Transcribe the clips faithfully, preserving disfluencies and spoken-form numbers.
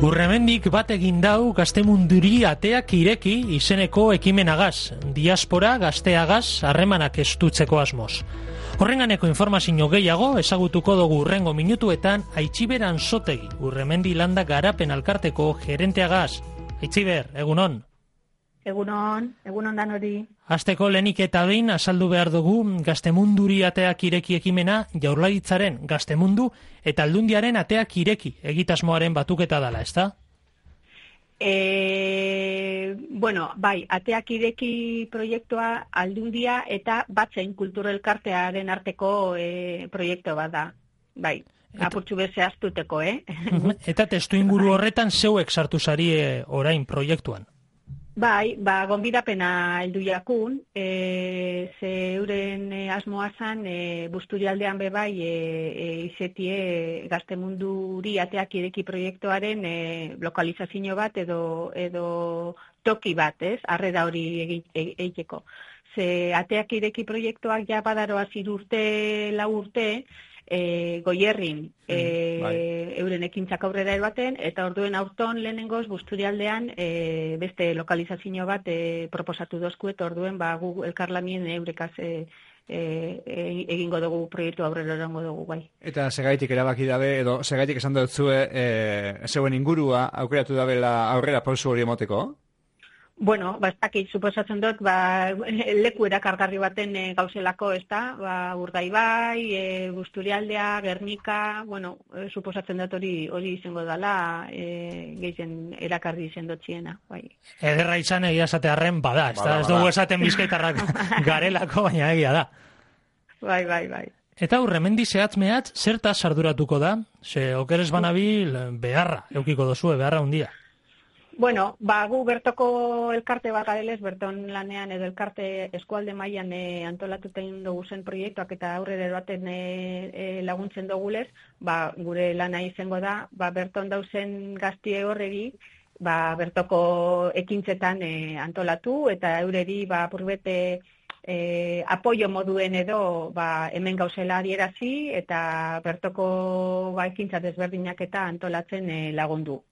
Urremendik bat egin dau Gaztemunduri ateak ireki izeneko ekimenagaz, diaspora gazteagaz harremanak estutzeko asmoz. Horrenganeko informazio gehiago ezagutuko dugu urrengo minutuetan Aitziber Anzotegi, Urremendi Landa Garapen Alkarteko gerenteagaz. Aitziber, egunon? Egunon, egunon dan hori. Hasteko lehenik eta behin azaldu behar dugu Gaztemunduri ateak ireki ekimena Jaurlaritzaren Gaztemundu eta Aldundiaren ateak ireki egitasmoaren batuketa dela, ezta? E, bueno, bai, ateak ireki proiektua Aldundia eta Batzen Kulturelkartearen arteko e, proiektu bat da, bai. Eta, apurtxu beze astuteko, eh? Eta testu inguru horretan zeuek sartu zari e, orain proiektuan? Bai, ba, gonbidapena heldu jakun, e, ze euren e, asmoa zan, e, Busturialdean bebai, e, e, izetie Gaztemunduri ateak ireki proiektuaren e, lokalizazio bat edo, edo toki bat, ez? Harrera hori egiteko. Ze ateak ireki proiektuak ja badaroa zirurte, lau urte, E, Goierrin e, mm, bai. euren ekintzak aurrera erbaten, eta orduen aurton lehenengoz Busturialdean e, beste lokalizazio bat e, proposatu dozku, eta orduen ba, gu elkarlamien eurekaz e, e, egingo dugu proiektu aurrera erango dugu, bai. Eta segaitik erabaki dabe, edo segaitik esan dut zue, e, zeuen ingurua aukeratu dabela aurrera pausu hori emoteko? Bueno, ba, ez dakit, suposatzen dut, ba, leku erakargarri baten e, gauzelako, ez da, ba, Urdaibai, e, Busturialdea, Gernika, bueno, e, suposatzen dut hori hori izango dela, e, gehien erakarri izan dutziena, bai. Ederra izan egia esatearren bada, ez da, ez dugu esaten bizkaitarrak garelako, baina egia da. Bai, bai, bai. Eta Urremendi zehatz mehatz, zertaz arduratuko da? Ze okeres banabil beharra, eukiko dozue, beharra hundia. Bueno, ba, gu bertoko elkarte bat garelez, berton lanean edo elkarte eskualde mailan e, antolatuten dugu zen proiektuak eta aurrera baten e, e, laguntzen dugulez, ba, gure lana izango da, ba, berton dauzen gaztie horregi, ba, bertoko ekintzetan e, antolatu eta eureri ba, purbete e, apoio moduen edo ba, hemen gauzela adierazi eta bertoko ba, ekintza desberdinak eta antolatzen e, lagundu.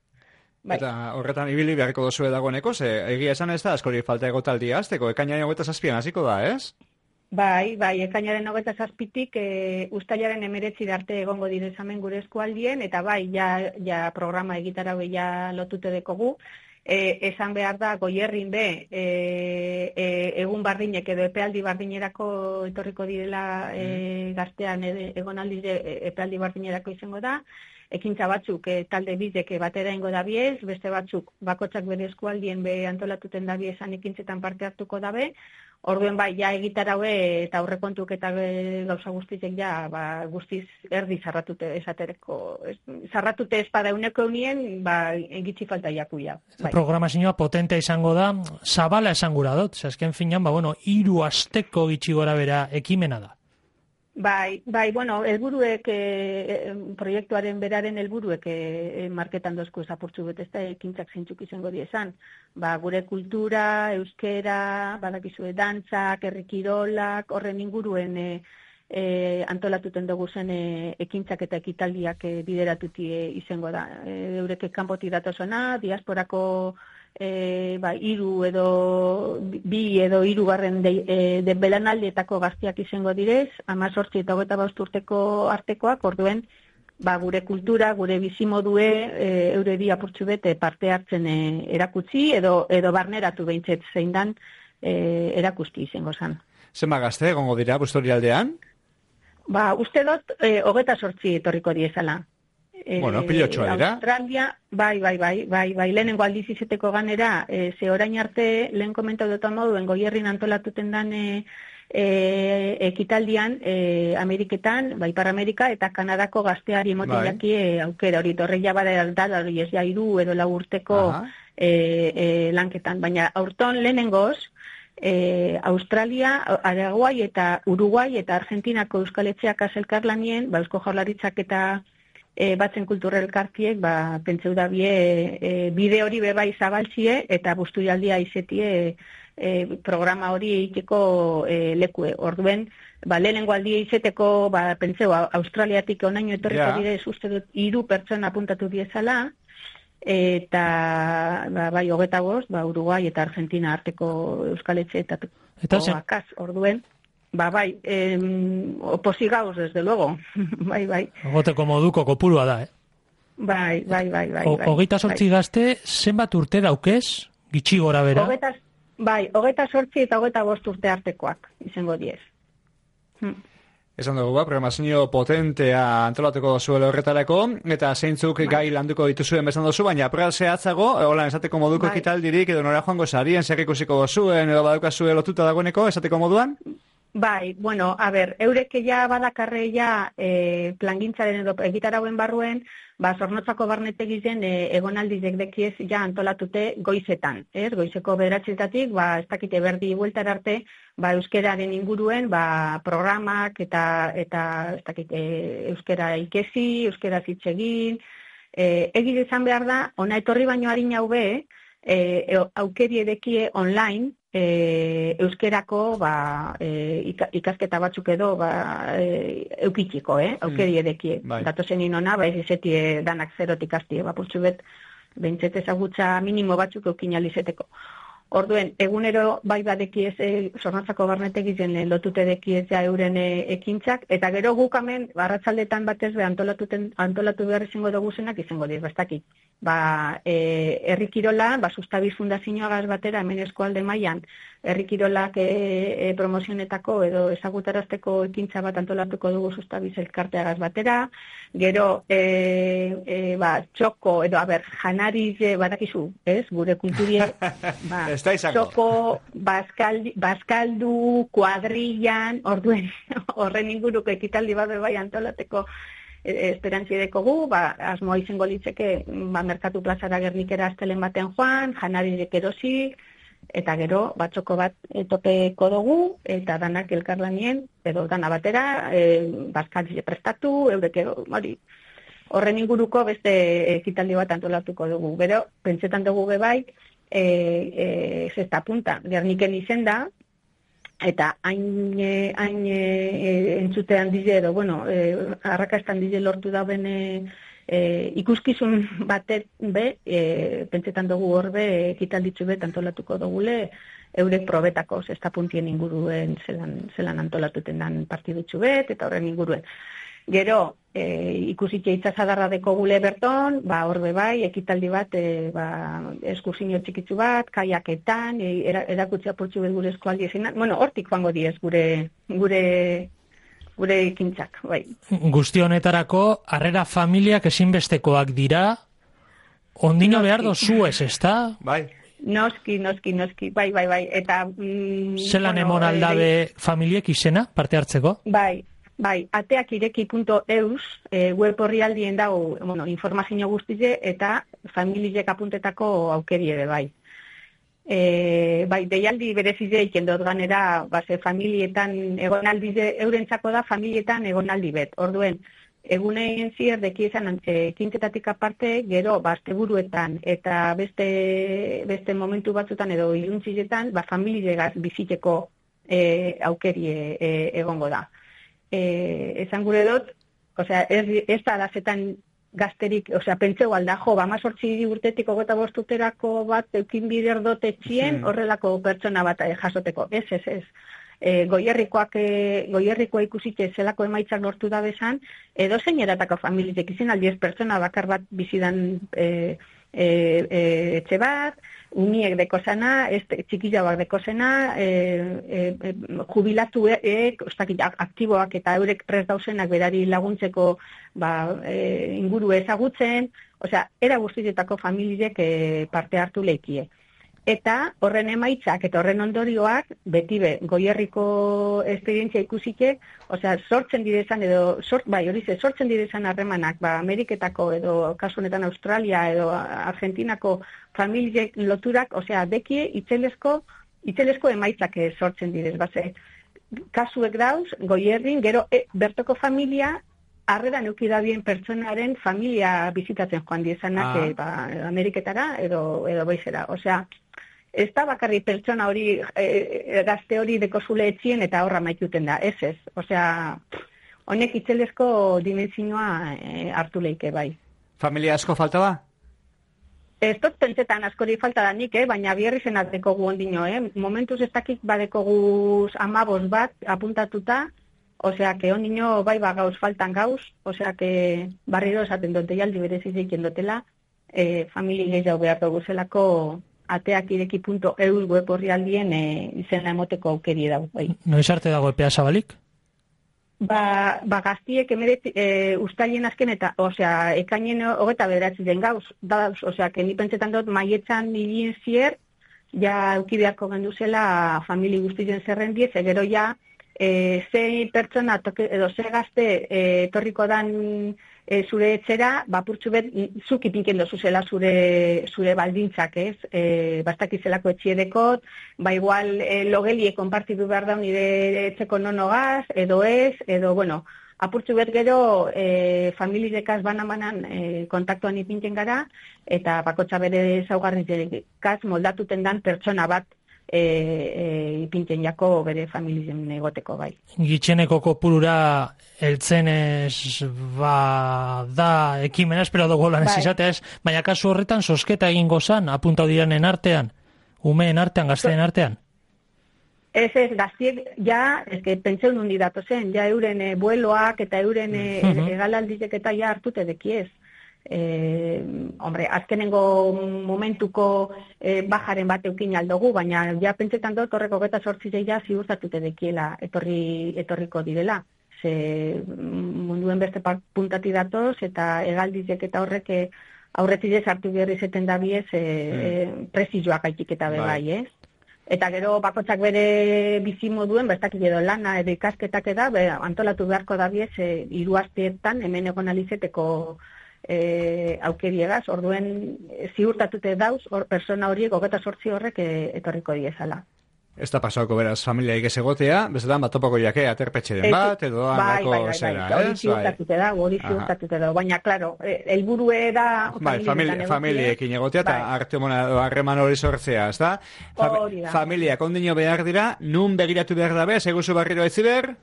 Bai. Eta horretan ibili beharko dozue dagoeneko, ze egia esan ez da, askori falta egotaldia azteko, ekainaren hogeita zazpian hasiko da, ez? Bai, bai, ekainaren hogeita zazpitik e, ustailaren emeretzi arte egongo direzamen gure eskualdien, eta bai, ja, ja programa egitarau ja lotute dekogu. E, esan behar da, Goierrin be, e, e, egun bardinek edo epealdi bardinerako etorriko direla e, gaztean e, egonaldi epealdi bardinerako izango da, ekintza batzuk e, talde bizek batera ingo dabiez, beste batzuk bakotsak bere eskualdien be antolatuten dabiezan ekintzetan parte hartuko dabe, orduen bai, ja egitaraue eta aurrekontuk eta gauza guztizek ja ba, guztiz erdi zarratute esatereko. Zarratute espada euneko eunien, ba, egitzi falta jakuia. Bai. Programazioa potentea izango da, zabala esan gura dut, azken finan, ba, bueno, hiru asteko gitxi gora bera ekimena da. Bai, bai, bueno, helburuek e, proiektuaren beraren helburuek e, marketan dozku ezapurtzu bet, ez da ekintzak zeintzuk izango diezan. Ba, gure kultura, euskera, badakizue dantzak, herrikirolak, horren inguruen e, e, antolatuten dugu zen e, ekintzak eta ekitaldiak e, bideratuti e, izango da. E, eurek kanpoti datozona, diasporako E, ba, iru edo bi edo hirugarren de, e, de belanaldietako gaztiak izango direz, hamazortzi eta hogeita bost urteko artekoak, orduen ba, gure kultura, gure bizimodue e, eureri apurtxu bete parte hartzen e, erakutsi edo edo barneratu behintzet zein dan e, erakusti izango zan. Zenba gazte egongo dira Busturialdean? Ba, uste dut e, hogeita sortzi etorriko diezala. Bueno, pilotxoa dira. Australia, bai, bai, bai, bai, bai, lehenengo aldiz izeteko ganera, e, ze orain arte, lehen komentau dut moduen, Goierrin antolatuten dan e, e, ekitaldian, e, Ameriketan, bai, Ipar Amerika, eta Kanadako gazteari motin bai. Jaki e, aukera hori, torreia bada da, hori ez ja iru edo lau urteko e, e, lanketan, baina aurton lehenengoz, e, Australia, Araguai eta Uruguai eta Argentinako euskaletxeak azelkarlanien, ba, Eusko Jaurlaritzak eta E, batzen kulturelkartiek ba, pentseu dabie e, bide hori bebai zabaltzie eta Busturialdia izetie e, programa hori egiteko e, lekue. Orduen, ba, lehenengo aldia izeteko ba, pentseu Australiatik onaino etorriko yeah. Direz uste dut hiru pertsona apuntatu diezala eta ba, bai, hogeta bost, ba, Uruguai eta Argentina arteko Euskal Etxeetako akaz, orduen. Ba, bai, em, oposigauz, desde luego. bai, bai. Goteko moduko kopurua da, eh? Bai, bai, bai, bai. Hogeita sortzi bai. Gazte, zenbat urte daukez, gitxi gora bera? Ogetas, bai, hogeita sortzi eta hogeita bost urte artekoak, izango diez. Hm. Esan dugu, ba, programazio potentea antolatuko zuela horretarako, eta zeintzuk bai. Gai landuko dituzuen bezan dozu, baina apura zehatzago, holan esateko moduko bai. Ekitaldirik, edo nora joango zarien, zer ikusiko zuen, edo badukazue lotuta dagoeneko, esateko moduan? Bai, bueno, a ber, eurek ja badakarre ja e, plangintzaren edo egitarauen barruen, ba, Zornotzako barnetegizen e, egonaldi dekdekiez ja antolatute goizetan, ez? Goizeko bederatzetatik, ba, ez dakite berdi bueltar arte, ba, euskeraren inguruen, ba, programak eta, eta ez dakite, euskera ikesi, euskera zitzegin, e, egin izan behar da, ona etorri baino harin hau be, e, aukeri edekie online, E, euskerako ba, e, ikasketa batzuk edo ba, e, eukitxiko, eh? aukeri edekie. Mm, bai. Datozen inona, ba, ez izetie danak zerotik asti, ba, purtsu bet, bentzet ezagutza minimo batzuk eukin alizeteko. Orduen, egunero bai badekiez e, Zornotzako barnetegizen e, lotute dekiez ja euren e, ekintzak, eta gero gukamen, arratzaldetan batez be antolatu behar izango dugu zenak izango dira, bastakit. Ba, e, Herri Kirola, ba, Sustabiz Fundazioagaz batera, hemen eskualde mailan, Herri Kirolak e, e, promozionetako edo ezagutarazteko ekintza bat antolatuko dugu Sustabiz elkarteagaz batera, gero, e, e, ba, txoko, edo, a ber, janariz, e, badakizu, ez, gure kulturie, ba, txoko, baskaldu, baskaldu, kuadrillan, orduen, horren inguruko ekitaldi bat bai antolateko esperantzia dekogu, ba, asmoa izango litzeke, ba, Merkatu Plazara Gernikera astelen baten joan, janarizek erosi, eta gero, batxoko bat topeko dugu, eta danak elkarlanien, edo dana batera, e, bazkaltze prestatu, eurek hori, horren inguruko beste ekitaldi bat antolatuko dugu. Gero, pentsetan dugu bebai, e, e, zesta punta, Gerniken izenda, eta hain, hain e, entzutean dize, edo, bueno, e, arrakastan dize lortu dauen e, e, ikuskizun batet be, e, pentsetan dugu horbe, ekitalditzu bet antolatuko dugule, eurek probetako zesta puntien inguruen zelan, zelan antolatuten dan partidutzu bet, eta horren inguruen. Gero, e, ikusitxe itzazadarra deko gule berton, ba, horbe bai, ekitaldi bat, e, ba, eskursinio txikitzu bat, kaiaketan, e, erakutsia portzu bet gure eskualdi ezinan. Bueno, hortik joango diez gure, gure, gure ikintzak, bai. Guzti honetarako, harrera familiak ezinbestekoak dira, ondino behar dozu ez, ezta? Bai. Noski, noski, noski, bai, bai, bai. Eta, mm, zelan bueno, emon aldabe e, familiek izena, parte hartzeko? Bai. Bai, ateakireki punto eus e, web horri aldien dago bueno, informazio guztize eta familiek apuntetako aukeri ere bai. E, bai, deialdi berezize ikendot ganera, base familietan egonaldi eurentzako da familietan egonaldi bet. Orduen, egunean zier deki izan e, kintetatik aparte, gero basteburuetan eta beste, beste momentu batzutan edo iluntzizetan, ba, familiegaz biziteko e, aukeri e, egongo da. Eh, esan gure dut, osea, ez, ez da alazetan gazterik, osea, pentseu alda, jo, ba, mazortzi urtetik ogeta bostuterako bat eukin bider dut etxien, horrelako pertsona bat jasoteko. Ez, ez, ez. E, goierrikoak, e, goierrikoa ikusitxe zelako emaitzak lortu da bezan, edo zein eratako familiek izin aldiez pertsona bakar bat bizidan e, e, e, etxe bat, uniek dekozena, txikillauak dekozena, e, e, jubilatuek, e, aktiboak eta eurek prest dauzenak berari laguntzeko ba, e, inguru ezagutzen, osea, era guztietako familiek e, parte hartu leikie. Eta horren emaitzak eta horren ondorioak, beti be, goierriko esperientzia ikusike, osea, sortzen direzan edo, sort, bai, hori ze, sortzen direzan harremanak, ba, Ameriketako edo, kasu honetan Australia edo Argentinako familiek loturak, osea, dekie itzelesko, itzelesko emaitzak sortzen direz, base, kasuek dauz, goierrin, gero, e, bertoko familia, harrera neukidabien pertsonaren familia bizitatzen joan diezanak, ah. e, ba, Ameriketara edo, edo boizera, osea, ez da bakarri pertsona hori, e, gazte hori dekozule etxien eta horra maituten da, ez ez. Osea, honek itzelesko dimenzioa e, hartu leike bai. Familia asko falta ba? Ez dut pentsetan askori falta da nik, eh? Baina bierri zenak dekogu ondino, eh? Momentuz ez dakik badekogu amabos bat apuntatuta, osea, que ondino bai ba gauz faltan gauz, osea, que barriro esaten dute jaldi bereziz eiken dutela, eh, famili gehiago behar dugu zelako ateakireki punto e u web horri aldien eh, izena emoteko aukeri dago. Bai. Noiz arte dago epea zabalik? Ba, ba gaztiek emeret e, ustaien azken eta, osea, ekainen hogeta bederatzi den gauz, dauz, osea, que ni pentsetan dut maietzan nilien zier, ja euki beharko genduzela famili guztien zerrendiez, egero ja, e, ze pertsona toke, edo ze gazte e, torriko dan e, zure etxera, bapurtzu bet, zuk ipinken dozuzela zure, zure baldintzak, ez? E, bastakizelako etxiedekot, ba igual e, logelie konpartidu behar da nire etxeko nonogaz, edo ez, edo, bueno, apurtzu bet gero e, familidekaz banan-banan e, kontaktuan ipinken gara, eta bakotxa bere zaugarrizekaz moldatuten dan pertsona bat E, e, ipinten jako bere familien egoteko bai. Gitxeneko kopurura eltzenez ba da ekimena, espero dugu lan ez izatea ez, baina kasu horretan sosketa egingo zan, apuntau diranen artean, umeen artean, gazteen artean? Ez ez, gaztiek, ja, ez que pentseun hundi dato zen, ja euren e, bueloak eta euren e, uh-huh. egalaldizek eta ja hartute dekiez. Eh, hombre, azkenengo momentuko eh, bajaren bat eukin aldogu, baina ja pentsetan dut horreko geta sortzi ja ziurtatute dekiela etorri, etorriko direla. Ze munduen beste puntati datoz eta egaldizek eta horrek aurretidez hartu berri zeten da biez eh, mm. prezioak gaitik eta bebai, ez? Eta gero bakotxak bere bizimoduen, bestakik edo lana edo ikasketak eda, be, antolatu beharko da biez e, hiru asteetan hemen egon alizeteko E, aukeriegaz, orduen e, ziurtatute dauz, or, persona horiek hogeta sortzi horrek e, etorriko diezala. Ez da pasauko beraz familiaik ez egotea, bezetan bat topako jake aterpetxeren bat, edo bai, handako bai, bai, zera, bai, hori ziurtatute da, hori ziurtatute da, baina, klaro, helburue da bai, famili, familiekin egotea, eta bai. Artemona harreman hori sortzea, ez da? Fa, familiak ondino behar dira, nun begiratu behar dabe, seguzu barriro etziber?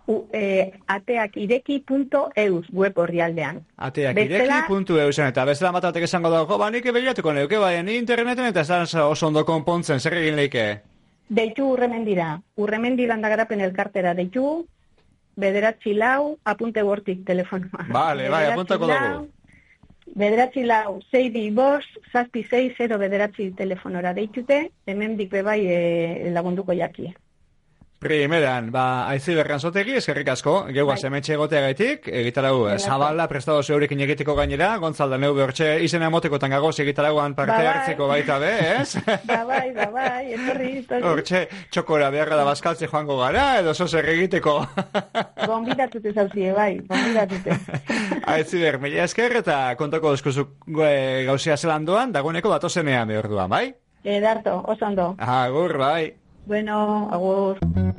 U, eh, ateakireki punto e u web horri aldean. ateakireki punto e u eta bezala matatek esango dago, ba, nik ebegiratuko neuke, bai, ni interneten eta ez da oso ondo konpontzen, zer egin leike? Deitu urremendira, urremendiran da garapen elkartera, deitu, bederatzi lau, apunte bortik telefonoa. Vale, bai, apuntako dugu. Bederatzi lau, zei bi bos, zazpi zei, zero bederatzi telefonora deitute, hemen dik bebai e, lagunduko jakie. Primeran, ba, aizi berran zotegi, eskerrik asko, geugaz bai. Hemetxe egotea gaitik, egitarau, zabala, prestado zeurekin egiteko gainera, Gontzalda neu behortxe izena emotekotan gagoz egitarauan parte ba, hartzeko baita be, ez? Ba, bai, ba, bai, etorri, etorri. Hortxe, txokora beharra da bazkaltze joango gara, edo zozer egiteko. Gonbidatute zauzie, bai, gonbidatute. Aizi ber, mila esker eta kontako dozkuzuk gauzia zelandoan, dagoeneko datozenean behor duan, bai? Edarto, oso ondo. Agur, bai. Bueno, agur.